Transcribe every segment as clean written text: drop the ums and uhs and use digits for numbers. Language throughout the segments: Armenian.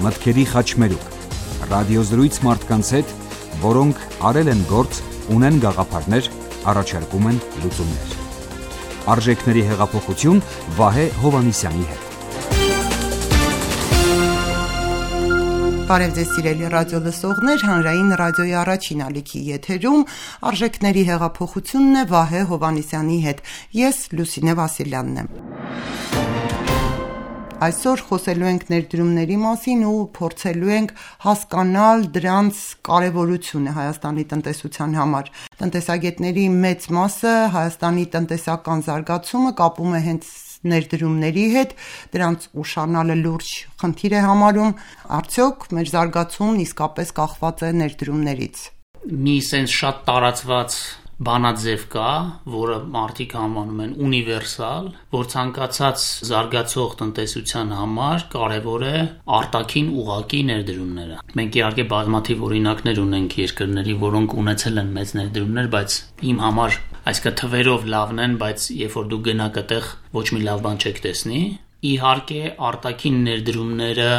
մտքերի խաչմերուկ, ռադիոզրույց մարդկանց հետ, որոնք արել են գործ, ունեն գաղափարներ, առաջարկում են լուծումներ։ Արժեքների հեղափոխություն Վահե Հովհաննիսյանի հետ։ Բարև ձեզ սիրելի ռադիո լսողներ, հանրային ռադիոյի առաջին ալիքի եթերում արժեքների հեղափոխությունն է Վահե Հովհաննիսյանի հետ։ Ես Լուսինե Վասիլյանն եմ։ Այսօր խոսելու ենք ներդրումների մասին ու փորձելու ենք հասկանալ դրանց կարևորությունը Հայաստանի տնտեսության համար։ Տնտեսագետների մեծ մասը Հայաստանի տնտեսական զարգացումը կապում է հենց ներդրումների հետ, դրանց ուշանալը լուրջ խնդիր է համարում, արդյոք մեր զարգացումն իսկապես կախված է ներդրումներից։ Մի sense շատ տարածված բանաձև կա, որը մարդիկ անվանում են ունիվերսալ, որ ցանկացած զարգացող տնտեսության համար կարևոր է արտաքին ուղղակի ներդրումները։ Մենք իհարկե բազմաթիվ օրինակներ ունենք երկրների, որոնք ունեցել են մեծ ներդրումներ, բայց իմ համար այսինքն թվերով լավն են, բայց երբ որ դու գնաք այդտեղ ոչ մի լավ բան չեք տեսնի։ Իհարկե արտաքին ներդրումները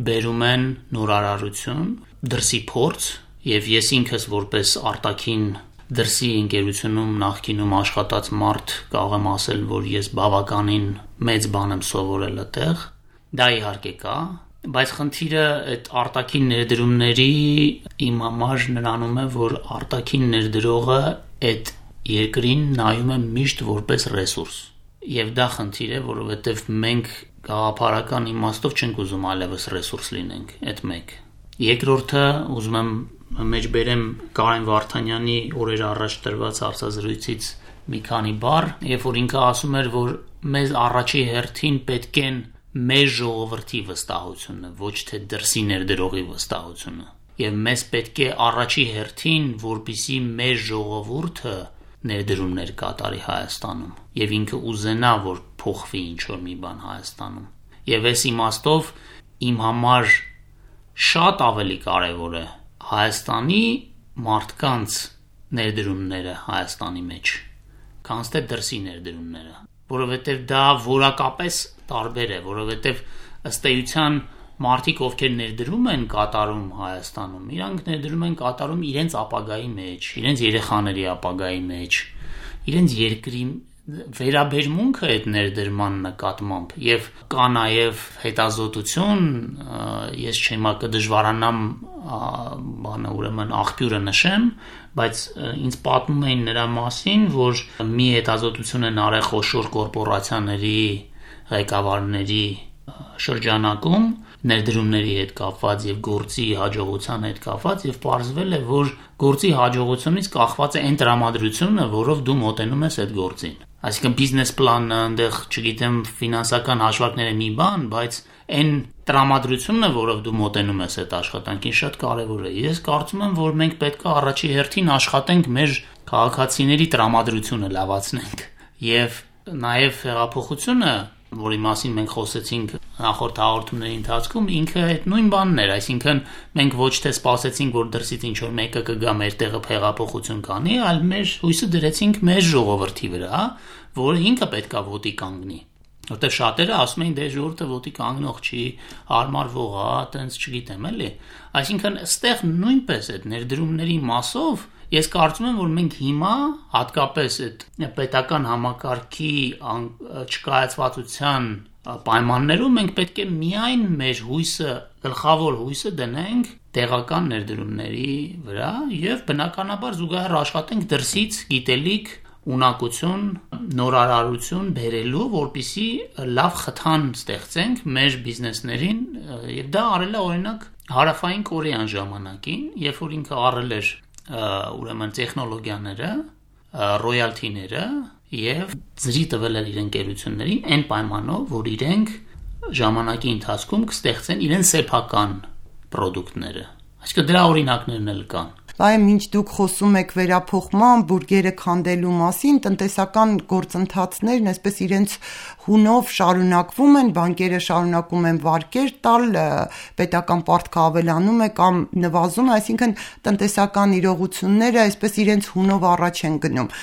բերում են նորարարություն, դրսի փորձ, եւ ես ինքս որպես արտաքին դրսի ընկերությունում նախկինում աշխատած մարդ կարող եմ ասել, որ ես բավականին մեծ բան եմ սովորել այդտեղ։ Դա իհարկե կա, բայց խնդիրը այդ արտաքին ներդրումների իմ համար նրանում է, որ արտաքին ներդրողը այդ երկրին նայում է միշտ որպես ռեսուրս։ Եվ դա խնդիր է, որովհետև մենք գաղափարական իմաստով չենք ուզում այլևս ռեսուրս լինենք, այդ մեկ։ Երկրորդը ուզում եմ մեջբերեմ Կարեն Վարդանյանի օրեր առաջ տրված հարցազրույցից մի քանի բառ, երբ որ ինքը ասում էր, որ մեզ առաջի հերթին պետք է մեր ժողովրդի վստահությունը, ոչ թե դրսի ներդրողի վստահությունը։ Եվ մեզ պետք է առաջի հերթին, որպեսզի մեր ժողովուրդը ներդրումներ կատարի Հայաստանում եւ ինքը ուզենա, որ փոխվի ինչ-որ մի բան Հայաստանում։ Եվ այս իմաստով իմ համար շատ ավելի կարևոր է Հայաստանի մարդկանց ներդրումները Հայաստանի մեջ, քան թե դրսի ներդրումները, որովհետեւ դա որակապես տարբեր է, որովհետեւ ըստ էության մարդիկ, ովքեր ներդրում են կատարում Հայաստանում, իրանք ներդրում են կատարում իրենց ապագայի մեջ, իրենց երեխաների ապագայի մեջ, իրենց երկրի վերաբերմունքը այդ ներդրման նկատմամբ եւ կա նաեւ հետազոտություն, ես չեմ կդժվարանամ բանը ուրեմն աղբյուրը նշեմ, բայց ինձ պատմում էին նրա մասին, որ մի հետազոտություն են արել խոշոր կորպորացիաների ղեկավարների շրջանակում ներդրումների հետ կապված եւ գործի հաջողության հետ կապված եւ պարզվել է, որ գործի հաջողությունից կախված է այն տրամադրությունը, որով դու մոտենում ես այդ գործին։ Այսինքն բիզնես պլանը, այնտեղ, չգիտեմ, ֆինանսական հաշվարկները մի բան, բայց այն տրամադրությունը, որով դու մոտենում ես այդ աշխատանքին, շատ կարեւոր է։ Ես կարծում եմ, որ մենք պետք է առաջի հերթին աշխատենք մեր քաղաքացիների տրամադրությունը լավացնենք եւ նաեւ հեղափոխությունը, որի մասին մենք խոսեցինք նախորդ հաղորդումների ընթացքում, ինքը այդ նույն բանն էր, այսինքն մենք ոչ թե սպասեցինք, որ դրսից ինչ-որ մեկը կգա մեր տեղը հեղափոխություն կանի, այլ մեր հույսը դրեցինք մեր ժողովրդի վրա, որը ինքը պետքա ոտի կանգնի։ Որտեղ շատերը ասում էին, դե ժողովուրդը ոտի կանգնող չի, հարմարվող է, տենց չգիտեմ էլի։ Այսինքն այստեղ նույնպես այդ ներդրումների մասով ես կարծում եմ, որ մենք հիմա հատկապես այդ պետական համակարգի չկայացվածության պայմաններում մենք պետք է միայն մեր հույսը, գլխավոր հույսը դնենք տեղական ներդրումների վրա եւ բնականաբար զուգահեռ աշխատենք դրսից գիտելիք, ունակություն, նորարարություն բերելու, որպեսզի լավ խթան ստեղծենք մեր բիզնեսներին եւ դա արել է օրինակ Հարավային Կորեան ժամանակին, երբ որ ինքը առել էր ուրեմն տեխնոլոգիաները, ռոյալթիները եւ ծրի տվել էր իր ընկերություններին այն պայմանով, որ իրենք ժամանակի ընթացքում կստեղծեն իրենց սեփական պրոդուկտները։ Այսինքն դրա օրինակներն էլ կան։ Բայց մինչ դուք խոսում եք վերափոխման, բուրգերը քանդելու մասին, տնտեսական գործընթացներն այսպես իրենց հունով շարունակվում են, բանկերը շարունակում են վարկեր տալ, պետական պարտքը ավելանում է կամ նվազում է, այսինքն տնտեսական իրողությունները այսպես իրենց հունով առաջ են գնում։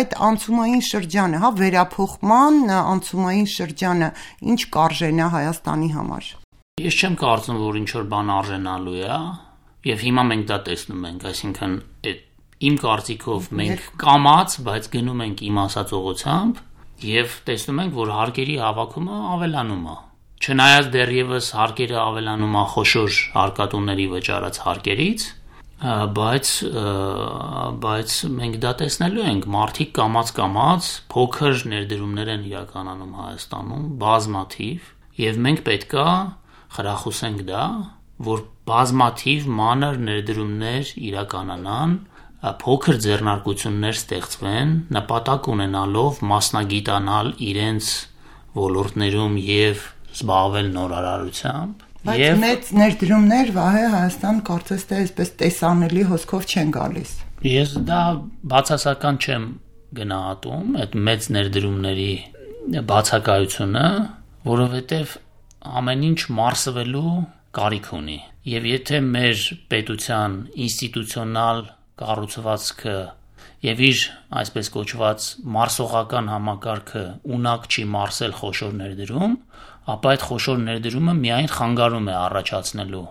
Այդ անցումային շրջանը, վերափոխման անցումային շրջանը ինչ կարժենա Հայաստանի համար։ Ես չեմ կարծում, որ ինչ որ բան արժանալու է, եւ հիմա մենք դա տեսնում ենք, այսինքն իմ կարծիքով մենք կամած, բայց գնում ենք իմ ասած ուղղությամբ եւ տեսնում ենք, որ հարկերի հավաքումը ավելանում է։ Չնայած դեռևս հարկերը ավելանում է խոշոր հարկատուների վճարած հարկերից, բայց մենք դա տեսնելու ենք, մարդիկ կամած փոքր ներդրումներ են իրականանում Հայաստանում, բազմաթիվ, եւ մենք պետքա խրախուսենք դա, որ բազմաթիվ մանր ներդրումներ իրականանան, փոքր ձեռնարկություններ ստեղծվեն, նպատակ ունենալով մասնագիտանալ իրենց ոլորտներում եւ զբաղվել նորարարությամբ։ Բայց մեծ ներդրումներ Վահե Հայաստան կարծես թե այսպես տեսանելի հոսքով չեն գալիս։ Ես դա բացասական չեմ գնահատում այդ մեծ ներդրումների բացակայությունը, որովհետեւ ամեն ինչ մարսվելու կարիք ունի։ Եվ եթե մեր պետության ինստիտուցիոնալ կառուցվածքը եւ իր այսպես կոչված մարսողական համակարգը ունակ չի մարսել խոշոր ներդրում, ապա այդ խոշոր ներդրումը միայն խանգարում է առաջացնելու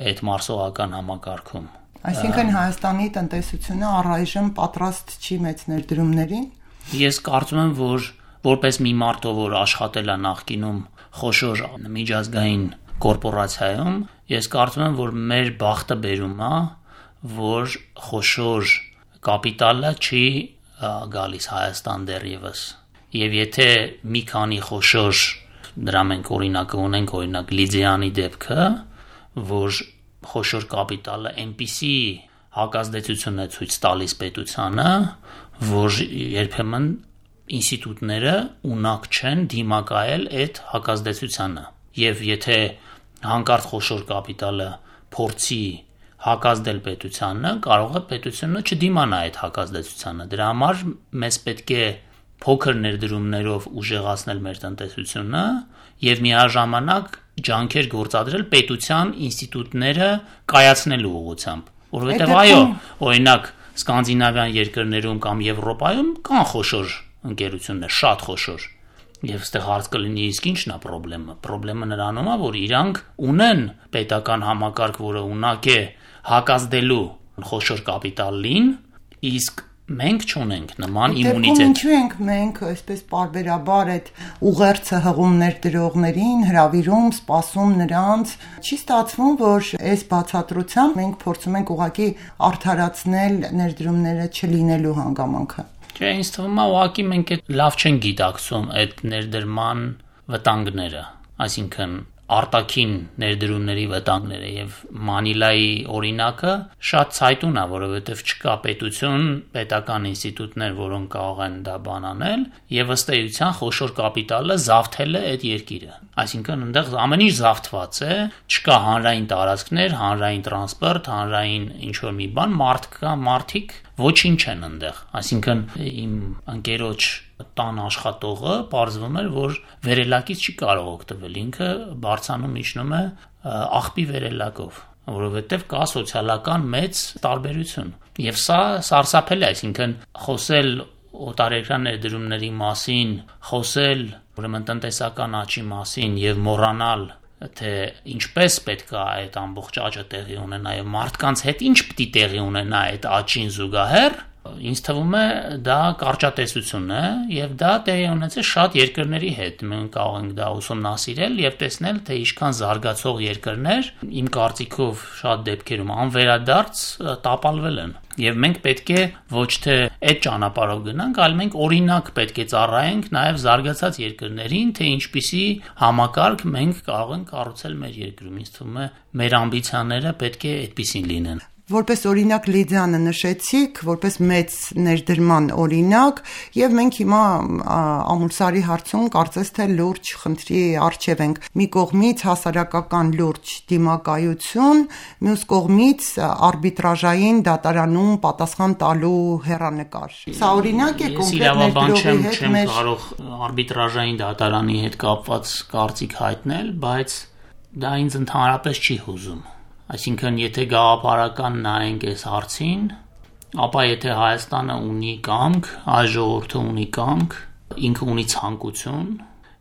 այդ մարսողական համակարգում։ Այսինքն Հայաստանի տնտեսությունը առայժմ պատրաստ չի մեծ ներդրումներին։ Ես կարծում եմ, որ որպես մի մարդ, որ աշխատել է նախկինում խոշոր միջազգային կորպորացիայում, ես կարծում եմ, որ մեր բախտը բերում է, որ խոշոր կապիտալը չի գալիս Հայաստան դեռևս։ Եվ եթե մի քանի խոշոր, դրա մենք օրինակը ունենք, օրինակ Լիձեանի դեպքը, որ խոշոր կապիտալը այնպիսի հակազդեցություն է ցույց տալիս պետությանը, որ երբեմն ինստիտուտները ունակ չեն դիմակայել այդ հակազդեցությանը։ Եվ եթե հանկարծ խոշոր կապիտալը փորձի հակազդել պետությանը, կարող է պետությունը չդիմանա այդ հակազդեցությանը։ Դրա համար մեզ պետք է փոքր ներդրումներով ուժեղացնել մեր տնտեսությունը եւ միաժամանակ ջանքեր գործադրել պետության ինստիտուտները կայացնելու ուղղությամբ, որովհետեւ այո, օրինակ սկանդինավյան երկրներում կամ Եվրոպայում կան խոշոր ընկերություններ, շատ խոշոր, եւ այստեղ հարց կլինի իսկ ի՞նչն է խնդրեմը։ Խնդրեմը նրանում է, որ իրանք ունեն պետական համակարգ, որը ունակ է հակազդելու խոշոր կապիտալին, իսկ մենք չունենք նման իմունիտետ։ Ինչու ենք մենք այսպես պարբերաբար այդ ուղերձը հղում ներդրողներին, հրավիրում, սպասում նրանց, չի ստացվում, որ այս բացատրությամբ մենք փորձում ենք ուղղակի արդարացնել ներդրումները չլինելու հանգամանքը։ Չէ, ինձ թվում է ուղղակի մենք լավ չենք գիտակցում այդ ներդրման վտանգները, այսինքն արտաքին ներդրումների վտանգները եւ Մանիլայի օրինակը շատ ցայտուն է, որովհետեւ չկա պետություն, պետական ինստիտուտներ, որոնք կարող են դա բանանել եւ ըստ էության խոշոր կապիտալը զավթել է այդ երկիրը։ Այսինքն այնտեղ ամեն ինչ զավթված է, չկա հանրային տարածքներ, հանրային տրանսպորտ, հանրային ինչ որ մի բան, մարդիկ ոչինչ են այնտեղ։ Այսինքն իմ ընկերոջ տան աշխատողը պարզվում էր, որ վերելակից չի կարող օգտվել, ինքը բարձանում իջնում է աղբի վերելակով, որովհետև կա սոցիալական մեծ տարբերություն։ Եվ սա սարսափել է, այսինքն խոսել օտարերկրյա ներդրումների մասին, խոսել ուրեմն տնտեսական աճի մասին եւ մոռանալ, թե ինչպես պետք է այդ ամբողջ աճը տեղի ունենա եւ մարդկանց հետ ինչ պիտի տեղի ունենա այդ աճին զուգահեռ, ինձ թվում է դա կարճատեսություն է եւ դա տեղի ունեցել շատ երկրների հետ։ Մենք կարող ենք դա ուսումնասիրել եւ տեսնել, թե ինչքան զարգացող երկրներ իմ կարծիքով շատ դեպքերում անվերադարձ տապալվել են։ Եվ մենք պետք է ոչ թե այդ ճանապարհով գնանք, այլ մենք օրինակ պետք է ծառայենք նաեւ զարգացած երկրներին, թե ինչպիսի համակարգ մենք կարող ենք կառուցել մեր երկրում։ Ինձ թվում է մեր ամբիցիաները պետք է այդպիսին լինեն։ Որպես օրինակ Լիդիանը նշեցիք, որպես մեծ ներդրման օրինակ, եւ մենք հիմա ամուսարի հարցում կարծես թե լուրջ խնդրի առջև ենք։ Մի կողմից հասարակական լուրջ դիմակայություն, մյուս կողմից արբիտրաժային դատարանում պատասխան տալու հեռանկար։ Սա օրինակ է կոնկրետ ներդրողի հետ չեմ կարող արբիտրաժային դատարանի հետ կապված կարծիք հայտնել, բայց դա ինձ ընդհանրապես չի հուզում։ Այսինքն, եթե գաղափարական նայենք այս հարցին, ապա եթե Հայաստանը ունի կամք, հայ ժողովուրդը ունի կամք, ինքը ունի ցանկություն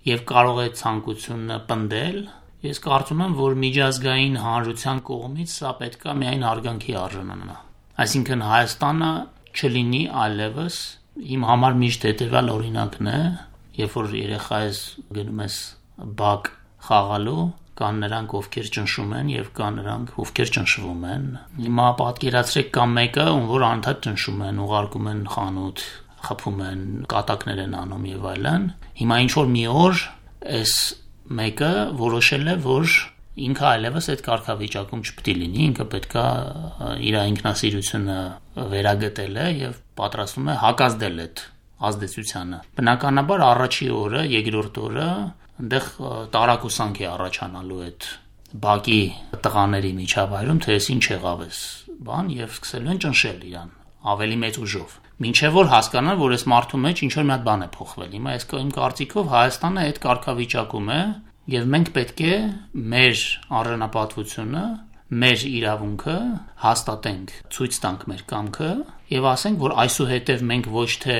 եւ կարող է ցանկությունը պնդել Ես կարծում եմ, որ միջազգային հանրության կողմից սա պետք է միայն արգանքի արժանանա։ Այսինքն Հայաստանը չլինի այլևս իմ համար միշտ հետևյալ օրինակն է, երբ որ երեխա ես գնում ես բակ խաղալու, կան նրանք, ովքեր ճնշում են եւ կան նրանք, ովքեր ճնշվում են։ Հիմա պատկերացրեք կա մեկը, ում որ անդադ ճնշում են, ուղարկում են խանութ, խփում են, կատակներ են անում եւ այլն։ Հիմա ինչ որ մի օր այս մեկը որոշել է, որ ինքը այլևս այդ կարգավիճակում չպետք է լինի, ինքը պետքա իր ինքնասիրությունը վերագտել է եւ պատրաստվում է հակազդել այդ ազդեցությանը։ Բնականաբար առաջի օրը, երկրորդ օրը այնտեղ տարակուսանք է առաջանալու այդ բակի տղաների միջավայրում, թե ես ինչ եղավ էս բան եւ սկսելու են ճնշել իրան ավելի մեծ ուժով։ Մինչև որ հասկանան, որ այս մարդու մեջ ինչ որ մի հատ բան է փոխվել։ Հիմա այս իմ կարծիքով Հայաստանը այդ կարգավիճակում է եւ մենք պետք է մեր առանապատվությունը, մեր իրավունքը հաստատենք, ցույց տանք մեր կամքը եւ ասենք, որ այսուհետեւ մենք ոչ թե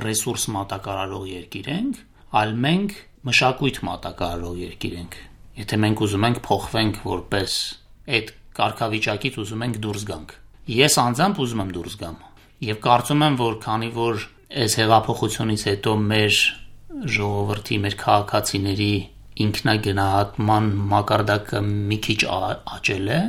ռեսուրս մատակարարող երկիր ենք, այլ մենք մշակույթ մատակարարող երկիր ենք։ Եթե մենք ուզում ենք փոխվենք որպես այդ կարգավիճակից ուզում ենք դուրս գանք։ Ես անձամբ ուզում եմ դուրս գամ եւ կարծում եմ, որ քանի որ այս հեղափոխությունից հետո մեր ժողովրդի, մեր քաղաքացիների ինքնագնահատման մակարդակը մի քիչ աճել է,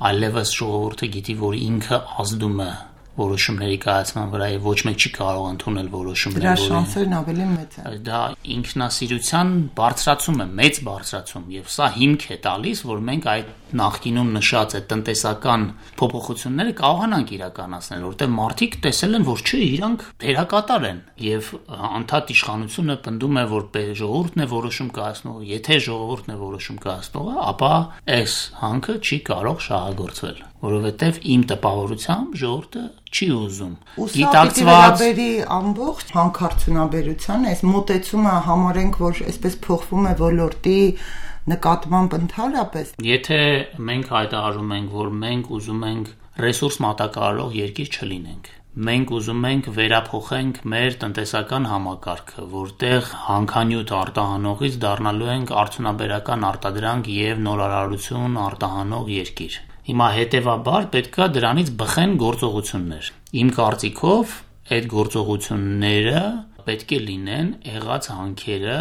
այլևս ժողովուրդը գիտի, որ ինքը ազդում է որոշումների կայացման վրա եւ ոչ մեկ չի կարող ընդունել որոշումներ, դրա շանսերն ավելի մեծ են։ Դա ինքնասիրության բարձրացում է, մեծ բարձրացում եւ սա հիմք է տալիս, որ մենք այդ նախկինում նշած այդ տնտեսական փոփոխությունները կարողանանք իրականացնել, որտեղ մարդիկ տեսել են, որ չէ, իրանք դերակատար են եւ անդադ իշխանությունը պնդում է, որ ժողովուրդն է որոշում կայացնողը, եթե ժողովուրդն է որոշում կայացնողը, ապա այս հանքը չի կարող շահագործվել, որովհետեւ իմ տպավորությամբ ժողովուրդը չի ուզում գիտակցված ամբողջ հանքարդյունաբերության այս մոտեցումը համարենք, որ այսպես փոխվում է ոլորտի նկատմամբ ընդհանրապես։ Եթե մենք հայտարարում ենք, որ մենք ուզում ենք ռեսուրս մատակարարող երկիր չլինենք, մենք ուզում ենք վերափոխենք մեր տնտեսական համակարգը, որտեղ հանքանյութ արտահանողից դառնալու ենք արդյունաբերական արտադրանք եւ նորարարություն արտահանող երկիր։ Հիմա հետևաբար պետքա դրանից բխեն գործողություններ։ Իմ կարծիքով այդ գործողությունները պետք է լինեն եղած հանքերը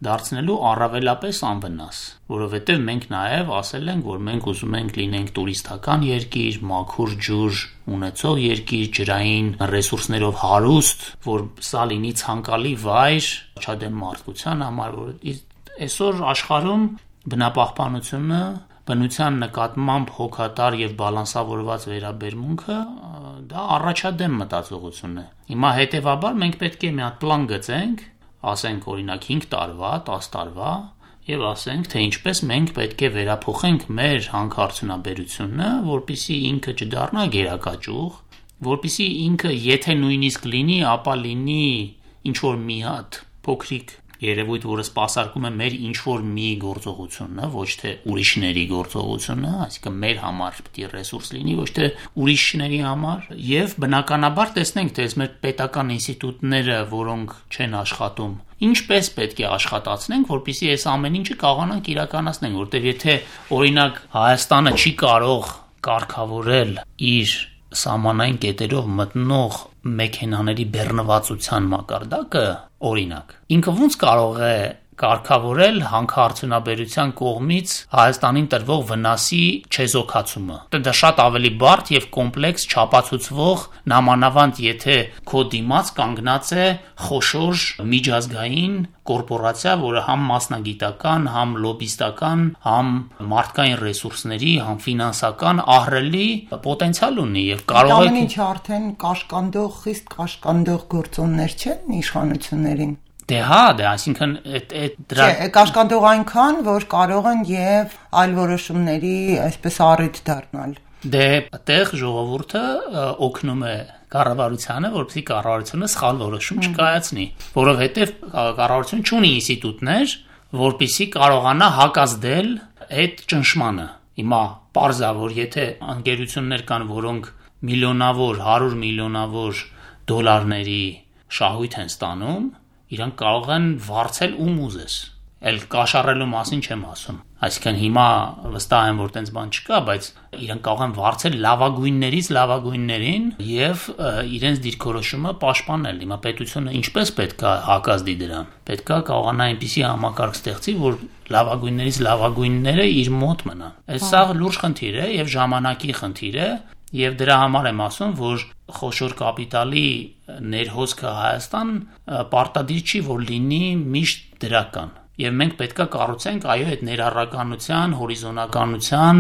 դարձնելու առավելապես անվնաս, որովհետև մենք նաև ասել ենք, որ մենք ուզում ենք լինենք տուրիստական երկիր, մաքուր ջուր ունեցող երկիր, ջրային ռեսուրսներով հարուստ, որ սա լինի ցանկալի վայր չադեմ մարդկության համար, որ այսօր աշխարհում բնապահպանությունը բնության նկատմամբ հոգատար եւ բալանսավորված վերաբերմունքը դա առաջադեմ մտածողություն է։ Հիմա հետեւաբար մենք պետք է մի հատ պլան գծենք, ասենք օրինակ 5 տարվա, 10 տարվա եւ ասենք, թե ինչպես մենք պետք է վերափոխենք մեր հանքարդյունաբերությունը, որպեսզի ինքը չդառնա գերակաճուղ, որպեսզի ինքը եթե նույնիսկ լինի, ապա լինի ինչ որ մի հատ փոքրիկ երևույթ, որը սպասարկում է մեր ինչ-որ մի գործողությունը, ոչ թե ուրիշների գործողությունը, այսինքն մեր համար պետք է ռեսուրս լինի, ոչ թե ուրիշների համար, եւ բնականաբար տեսնենք, թե մեր պետական ինստիտուտները, որոնք չեն աշխատում, ինչպես պետք է աշխատացնենք, որպեսզի այս ամեն ինչը կարողանանք իրականացնել, որտեղ եթե օրինակ Հայաստանը չի կարող կարգավորել իր սահմանային կետերով մտնող մեքենաների բեռնվածության մակարդակը, օրինակ, ինքը ոնց կարող է կարգավորել հանքարդյունաբերության կողմից Հայաստանին տրվող վնասի չեզոքացումը։ Դա շատ ավելի բարդ եւ կոմպլեքս չափածուցվող, նամանավանդ եթե քո դիմաց կանգնած է խոշոր միջազգային կորպորացիա, որը համ մասնագիտական, համ լոբիստական, համ մարդկային ռեսուրսների, համ ֆինանսական ահռելի պոտենցիալ ունի եւ կարող է ամեն ինչը արդեն կաշկանդող, խիստ կաշկանդող գործոններ չեն իշխանություններին։ Դե հա, այսինքն դրա կաշկանդող այնքան, որ կարող են եւ այլ որոշումների այսպես առիթ դառնալ։ Դե այդտեղ ժողովուրդը օգնում է կառավարությանը, որպեսզի կառավարությունը սխալ որոշում չկայացնի, որովհետեւ կառավարությունը չունի ինստիտուտներ, որպեսզի կարողանա հակազդել այդ ճնշմանը։ Հիմա պարզ է, որ եթե ընկերություններ կան, որոնք միլիոնավոր, 100 միլիոնավոր դոլարների շահույթ են ստանում, իրանք կարող են վարձել ում ուզես։ Էլ կաշառելու մասին չեմ ասում։ Այսինքն հիմա վստահ եմ, որ տենց բան չկա, բայց իրենք կարող են վարձել լավագույններից լավագույններին եւ իրենց դիրքորոշումը պաշտպանել։ Հիմա պետությունը ինչպես պետք է հակազդի դրան։ Պետք է կարողանա այնպիսի համակարգ ստեղծի, որ լավագույններից լավագույնները իր մոտ մնան։ Այս սա լուրջ խնդիր է եւ ժամանակի խնդիր է։ Եվ դրա համար եմ ասում, որ խոշոր կապիտալի ներհոսքը Հայաստան պարտադիր չի, որ լինի միշտ դրական։ Եվ մենք պետք է կառուցենք այդ ներառականության, հորիզոնականության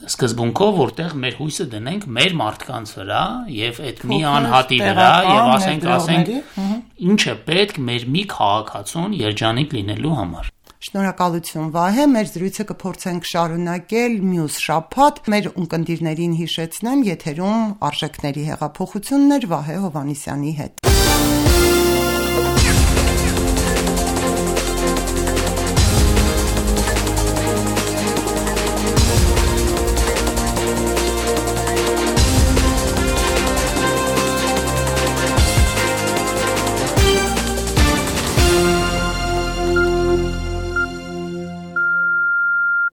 սկզբունքով, որտեղ մեր հույսը դնենք մեր մարդկանց վրա եւ այդ մի անհատի վրա եւ ասենք ինչ է պետք մեր մի քաղաքացուն երջանիկ լինելու համար։ Շնորհակալություն Վահե, մեր զրույցը կփորձենք շարունակել մյուս շաբաթ։ Մեր ունկնդիրներին հիշեցնեմ, եթերում արժեքների հեղափոխություններ Վահե Հովհաննիսյանի հետ։